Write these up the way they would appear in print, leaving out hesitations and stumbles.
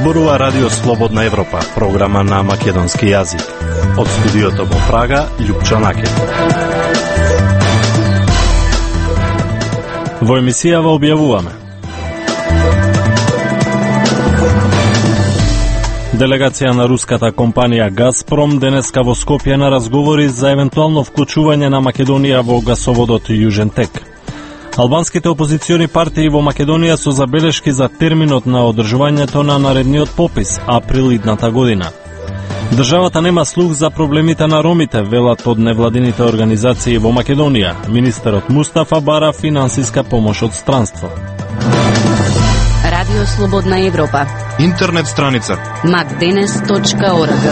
Зборува Радио Слободна Европа, програма на македонски јазик. Од студиото во Прага, Љупчо Накет. Во емисијава објавуваме: делегација на руската компанија Газпром денеска во Скопје на разговори за евентуално вклучување на Македонија во гасоводот Јужен тек. Албанските опозициони партии во Македонија со забелешки за терминот на одржувањето на наредниот попис, април идната година. Државата нема слух за проблемите на ромите, велат од невладините организации во Македонија. Министерот Мустафа бара финансиска помош од странство. Радио Слободна Европа. Интернет страница macdenes.org.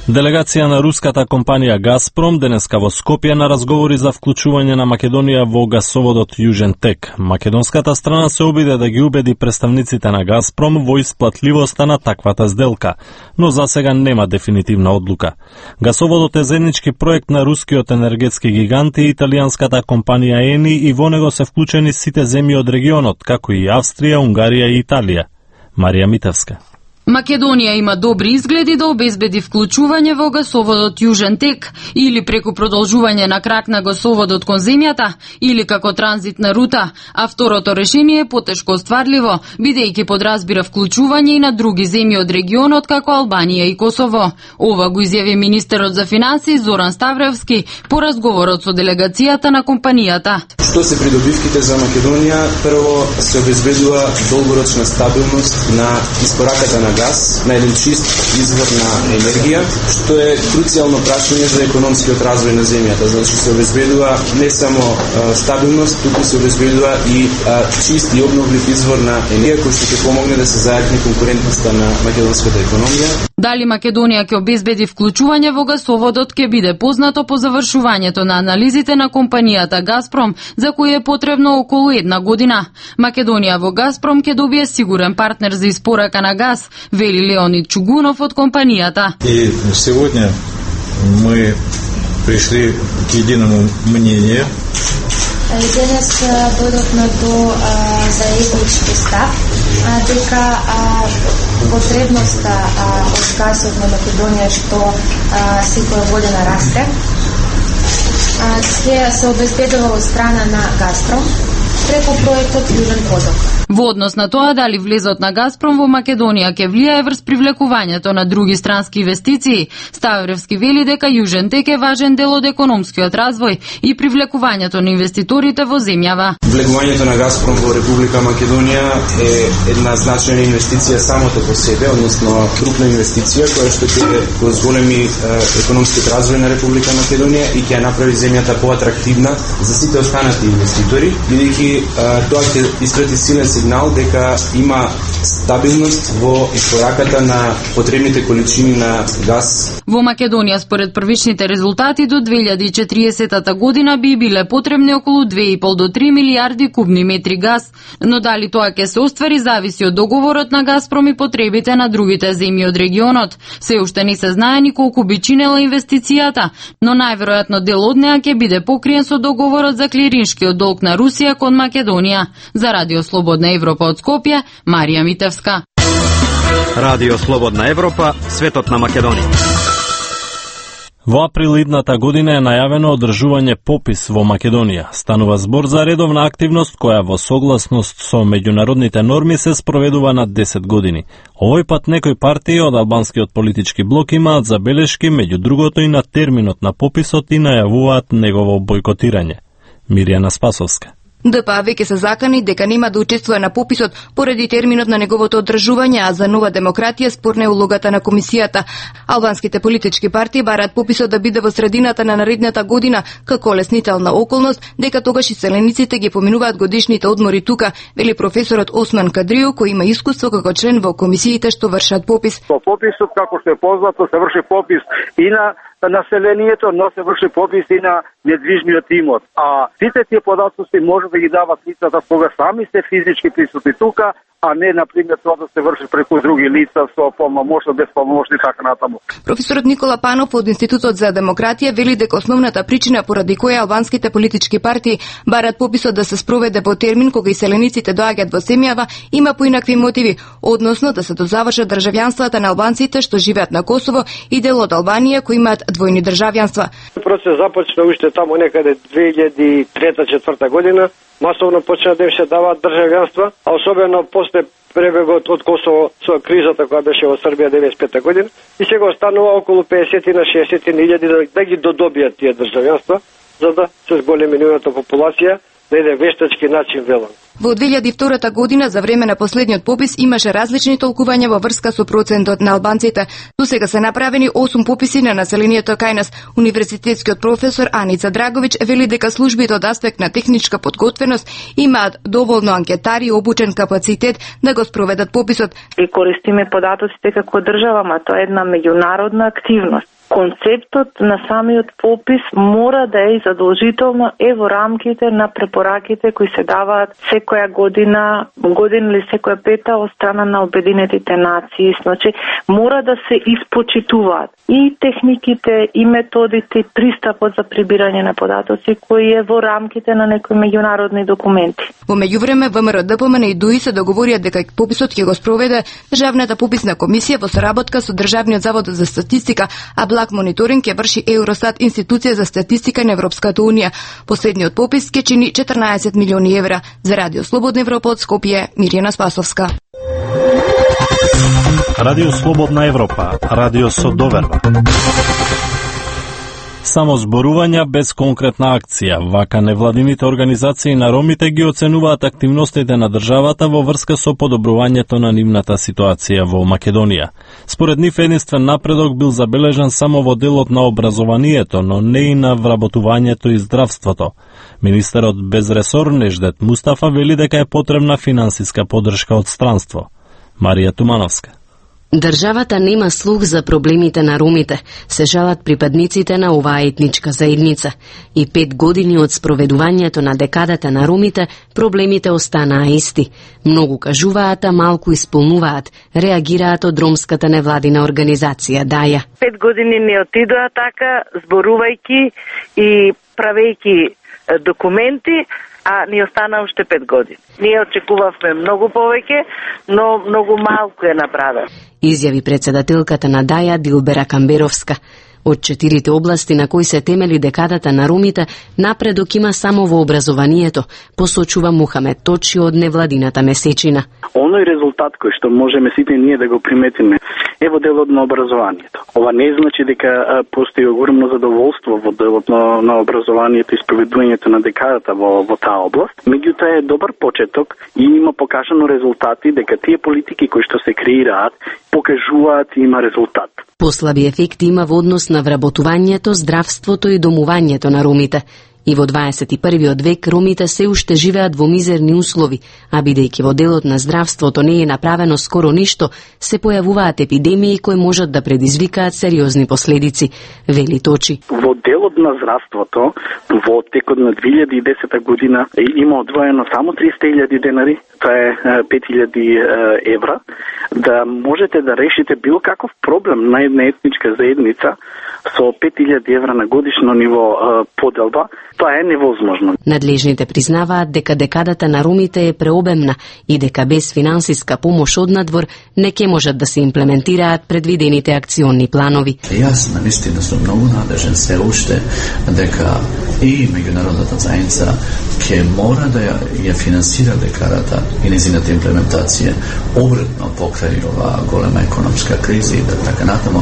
Делегација на руската компанија Газпром денеска во Скопје на разговори за вклучување на Македонија во гасоводот Јужен тек. Македонската страна се обиде да ги убеди представниците на Газпром во исплатливоста на таквата сделка, но за сега нема дефинитивна одлука. Гасоводот е заеднички проект на рускиот енергетски гигант и италијанската компанија Ени и во него се вклучени сите земји од регионот, како и Австрија, Унгарија и Италија. Марија Митевска. Македонија има добри изгледи да обезбеди вклучување во гасоводот Јужен тек, или преку продолжување на крак на гасоводот кон земјата, или како транзитна рута, а второто решение е потешко остварливо, бидејќи подразбира вклучување и на други земји од регионот како Албанија и Косово. Ова го изјави министерот за финансии Зоран Ставревски по разговорот со делегацијата на компанијата. Што се придобивките за Македонија? Прво се обезбедува долгорочна стабилност на испораката на газ, на еден чист извор на енергија, што е круцијално прашање за економскиот развој на земјата. Значи се обезбедува не само стабилност, туку се обезбедува и чист и обновлив извор на енергија кој што ќе помогне да се зајакне конкурентноста на македонската економија. Дали Македонија ќе обезбеди вклучување во гасоводот ќе биде познато по завршувањето на анализите на компанијата Газпром, за кој е потребно околу една година. Македонија во Газпром ќе добие сигурен партнер за испорака на газ, вели Леонид Чугунов од компанијата. И сегодня мы пришли к единому мнению. Денес дојдовме до заеднички став дека потребноста од газот на Македонија што секоја година расте ќе се обезбедува од страна на Газпром преку проектот Јужен поток. Во однос на тоа дали влезот на Газпром во Македонија ќе влијае врз привлекувањето на други странски инвестиции, Ставревски вели дека Јужен тек е важен дел од економскиот развој и привлекувањето на инвеститорите во земјава. Влегувањето на Газпром во Република Македонија е една значајна инвестиција самото по себе, односно крупна инвестиција која што ќе позволеми економскиот развој на Република Македонија и ќе направи земјата поатрактивна за сите останати инвеститори, бидејќи тоа ќе испрати силен сигнал дека има стабилност во испораката на потребните количини на газ. Во Македонија според првичните резултати до 2040 година би биле потребни околу 2,5 до 3 милиарди кубни метри газ, но дали тоа ќе се оствари зависи од договорот на Газпром и потребите на другите земји од регионот. Се уште не се знае ни колку би чинела инвестицијата, но најверојатно дел од неа ќе биде покриен со договорот за клириншкиот долг на Русија кон Македонија. За Радио Слободна Европа од Скопје, Марија Митевска. Радио Слободна Европа, светот на Македонија. Во април идната година е најавено одржување попис во Македонија. Станува збор за редовна активност која во согласност со меѓународните норми се спроведува на 10 години. Овој пат некои партии од албанскиот политички блок имаат забелешки, меѓу другото и на терминот на пописот и најавуваат негово бойкотирање. Мирјана Спасовска. ДПА веќе се закани дека нема да учествува на пописот поради терминот на неговото одржување, а за Нова демократија спорна е улогата на комисијата. Албанските политички партии бараат пописот да биде во средината на наредната година како леснителна околност, дека тогаш иселениците ги поминуваат годишните одмори тука, вели професорот Осман Кадрио, кој има искуство како член во комисиите што вршат попис. По пописот, како што е познато, се врши попис и на населението, но се врши попис и на недвижниот имот. А сите тие податоци може да ги дават лицата кога сами се физички присутни тука, а не на пример тоа да се врши преку други лица со полномошно, без полномошни така натаму. Професорот Никола Панов од Институтот за демократија вели дека основната причина поради која албанските политички партии барат пописот да се спроведе во термин кога иселениците доаѓаат во земјава има поинакви мотиви, односно да се дозавршат државјанствата на албанците што живеат на Косово и дел од Албанија кои имаат двојни државјанства. Процес започна уште таму некаде 2003-2004 година. Масовно почна да им се даваат државјанства, а особено после пребегот од Косово со кризата која беше во Србија 95 година. И сега останува околу 50 на 60 илјади да ги додобијат тие државјанства, за да се зголеми нивната популација на еден вештачки начин велан. Во 2002 година за време на последниот попис имаше различни толкувања во врска со процентот на албанците. Досега се направени 8 пописи на населението кај нас. Универзитетскиот професор Аница Драговиќ вели дека службите од аспект на техничка подготвеност имаат доволно анкетари и обучен капацитет да го спроведат пописот. И користиме податоците како држава, ма тоа е една меѓународна активност. Концептот на самиот попис мора да е задолжително во рамките на препораките кои се даваат секоја година или секоја пета од страна на Обединетите нации. Значи, мора да се испочитуваат и техниките, и методите, и пристапот за прибирање на податоци кои е во рамките на некои меѓународни документи. Во меѓувреме ВМРО, ДПМН и ДУИ се договорија дека пописот ќе го спроведе Државната пописна комисија во соработка со Државниот завод за статистика, а благ мониторинг ќе врши Евростат, институција за статистика на Европската унија. Последниот попис ќе чини 14 милиони евра. За Радио Слободна Европа од Скопје, Мирјана Спасовска. Радио Слободна Европа, радио со доверба. Само зборувања без конкретна акција. Вака невладините организации на ромите ги оценуваат активностите на државата во врска со подобрувањето на нивната ситуација во Македонија. Според нив единствен напредок бил забележан само во делот на образованието, но не и на вработувањето и здравството. Министерот без ресор Неждет Мустафа вели дека е потребна финансиска поддршка од странство. Марија Тумановска. Државата нема слух за проблемите на ромите, се жалат припадниците на оваа етничка заедница. И 5 години од спроведувањето на декадата на ромите, проблемите останаа исти. Многу кажуваат, а малку исполнуваат, реагираат од ромската невладина организација ДАЈА. 5 години не отидоа така, зборувајќи и правејќи документи, а ни остана уште 5 години. Ние очекувавме многу повеќе, но многу малку е направено. Изјави председателката на ДАЈА Дилбера Камберовска. Од 4 области на кои се темели декадата на ромите, напредок има само во образованието, посочува Мухамед Точи од невладината месечина. Оној резултат кој што можеме сите ние да го приметиме е во делот на образованието. Ова не значи дека постои огромно задоволство во делот на образованието и спроведувањето на декадата во таа област. Меѓутоа е добар почеток и има покажано резултати дека тие политики кои што се креираат покажуваат и има резултат. Послаби ефекти има во однос на вработувањето, здравството и домувањето на ромите. И во 21. век ромите се уште живеат во мизерни услови, а бидејќи во делот на здравството не е направено скоро ништо, се појавуваат епидемии кои можат да предизвикаат сериозни последици, вели Точи. Во делот на здравството, во текот на 2010 година има одвоено само 300.000 денари, тоа е 5.000 евра, да можете да решите било каков проблем на една етничка заедница со 5.000 евра на годишно ниво поделба. Тоа е невозможно. Надлежните признаваат дека декадата на ромите е преобемна и дека без финансиска помош од надвор не ќе можат да се имплементираат предвидените акциони планови. Јас навистина сум многу надежен се уште дека и меѓународната заедница ќе мора да ја финансира декадата и незината имплементација обратно покрај ова голема економска криза и така натаму.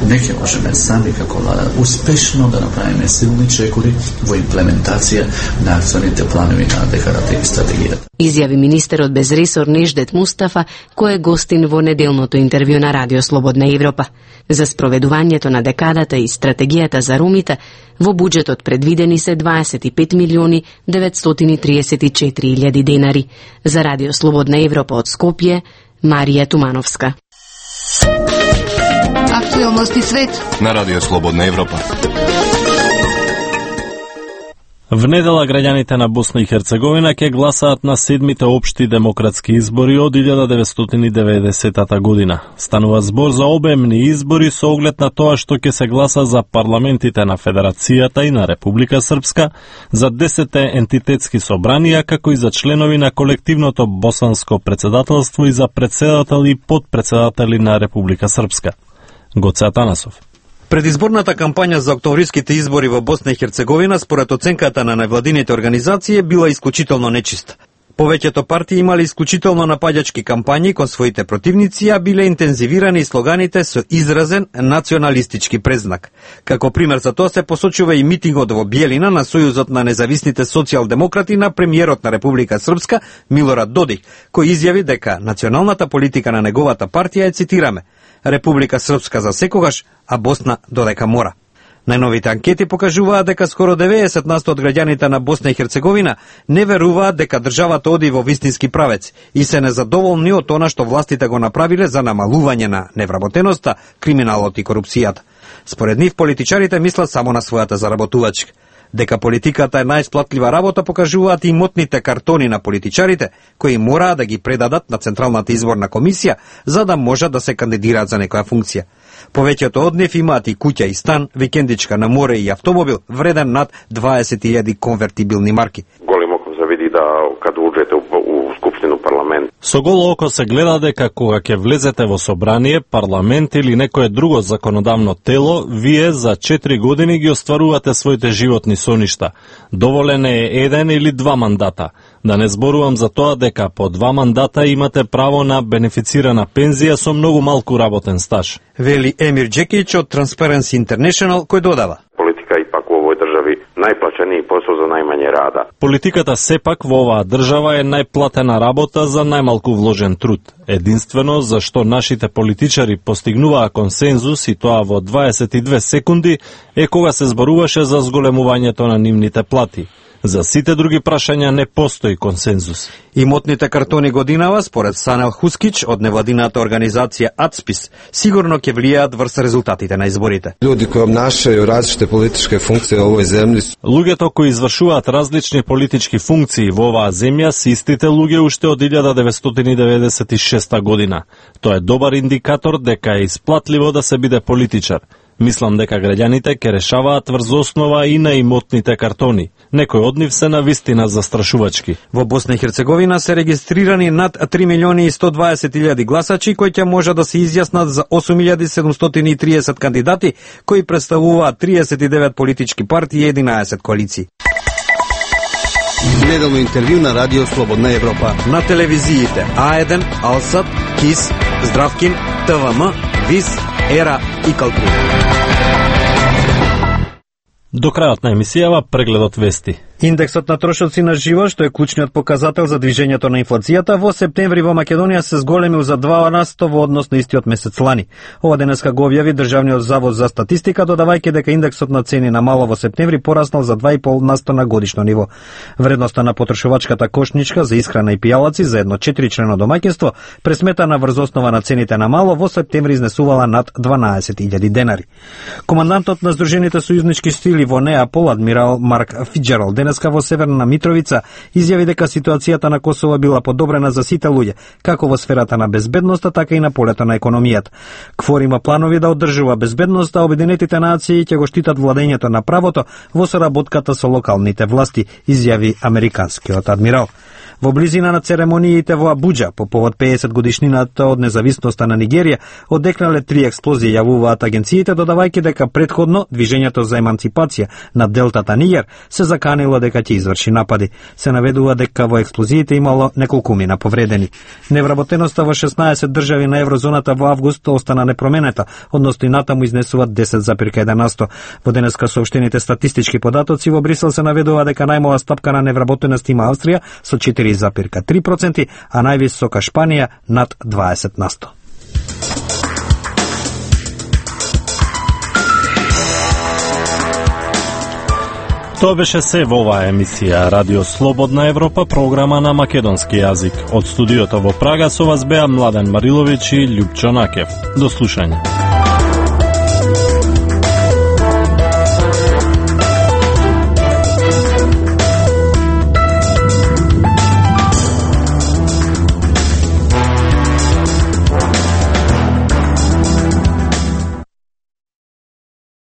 Не ќе можеме сами како влада успешно да направиме силни чекори во имплементација на акционите планови на декадата и стратегијата. Изјави министерот без ресор Неждет Мустафа, кој е гостин во неделното интервју на Радио Слободна Европа. За спроведувањето на декадата и стратегијата за ромите, во буџетот предвидени се 25 милиони 934 илјади денари. За Радио Слободна Европа од Скопје, Марија Тумановска. Актуелности свет на Радио Слободна Европа. В недела граѓаните на Босна и Херцеговина ќе гласаат на 7-мите општи демократски избори од 1990 година. Станува збор за обемни избори со оглед на тоа што ќе се гласа за парламентите на Федерацијата и на Република Српска, за 10 ентитетски собранија, како и за членови на колективното босанско председателство и за председател и подпредседатели на Република Српска. Гоце Атанасов. Предизборната кампања за октомвриските избори во Босна и Херцеговина, според оценката на невладините организации, била исклучително нечиста. Повеќето партии имали исклучително напаѓачки кампањи кон своите противници, а биле интензивирани слоганите со изразен националистички презнак. Како пример за тоа се посочува и митингот во Биелина на Сојузот на независните социјалдемократи на премиерот на Република Српска Милорад Додик, кој изјави дека националната политика на неговата партија е, цитираме, Република Српска за секогаш, а Босна додека мора. Најновите анкети покажуваат дека скоро 90% од граѓаните на Босна и Херцеговина не веруваат дека државата оди во вистински правец и се незадоволни од она што властите го направиле за намалување на невработеноста, криминалот и корупцијата. Според нив, политичарите мислат само на својата заработувачка. Дека политиката е најисплатлива работа покажуваат и имотните картони на политичарите, кои мораа да ги предадат на Централната изборна комисија за да можат да се кандидираат за некоја функција. Повеќето од нив имаат и куќа и стан, викендичка на море и автомобил вреден над 20.000 конвертибилни марки. Голим око се види да кога уđете у Скупштину, парламент. Со голо око се гледа дека кога ќе влезете во собрание, парламент или некое друго законодавно тело, вие за 4 години ги остварувате своите животни соништа. Доволен е 1 или 2 мандата. Да не зборувам за тоа дека по 2 мандата имате право на бенефицирана пензија со многу малку работен стаж. Вели Емир Джекич од Transparency International, кој додава: Политика ипак во овој држави најплаченiji посол за најмање рада. Политиката сепак во оваа држава е најплатена работа за најмалку вложен труд. Единствено зашто нашите политичари постигнуваа консензус и тоа во 22 секунди е кога се зборуваше за зголемувањето на нивните плати. За сите други прашања не постои консензус. Имотните картони годинава, според Санел Хускич од невладината организација АЦПИС, сигурно ќе влијаат врз резултатите на изборите. Луѓе кои обнашају различите политички функции во овој земји. Луѓето кои извршуваат различни политички функции во оваа земја се истите луѓе уште од 1996 година. Тоа е добар индикатор дека е исплатливо да се биде политичар. Мислам дека граѓаните ќе решаваат врз основа и на имотните картони. Некои од нив се навистина застрашувачки. Во Босна и Херцеговина се регистрирани над 3.120.000 гласачи кои ќе можат да се изјаснат за 8.730 кандидати кои представуваат 39 политички партии и 11 коалиции. Неделно интервју на Радио Слободна Европа. На телевизиите А1, Алсат, КИС, Здравкин, ТВМ, ВИС, Ера и Калтун. До крајот на емисијава прегледот вести. Индексот на трошоци на живот, што е клучниот показател за движењето на инфлацијата, во септември во Македонија се зголемил за 2% во однос на истиот месец лани. Ова денеска го објави Државниот завод за статистика, додавајќи дека индексот на цени на мало во септември пораснал за 2,5% на годишно ниво. Вредноста на потрошувачката кошничка за исхрана и пијалаци за едно 4-члено домаќинство, пресметана врз основа на цените на мало, во септември изнесувала над 12.000 денари. Командантот на Сдружените сојузнички сили во Неапол, адмирал Марк Фиджералд, денеска во Северна Митровица изјави дека ситуацијата на Косово била подобрена за сите луѓе, како во сферата на безбедноста, така и на полето на економијата. КФОР има планови да одржува безбедноста, а Обединетите нации ќе го штитат владењето на правото во соработката со локалните власти, изјави американскиот адмирал. Во близина на церемониите во Абуџа по повод 50 годишнината од независноста на Нигерија одекнале 3 експлозии, јавуваат агенциите, додавајќи дека претходно движењето за еманципација на делтата Нигер се заканило дека ќе изврши напади. Се наведува дека во експлозиите имало неколкумина повредени. Невработеноста во 16 држави на еврозоната во август остана непроменета, односно и натаму изнесуваат 10,1%. Во денеска соопштените статистички податоци во Брисел се наведува дека најмала стапка на невработеност има Австрија со 4,3%, а највисока Шпанија над 20%. Тоа беше се во оваа емисија Радио Слободна Европа, програма на македонски јазик. Од студиото во Прага со вас беа Младен Мариловиќ и Љупчо Накев. До слушање.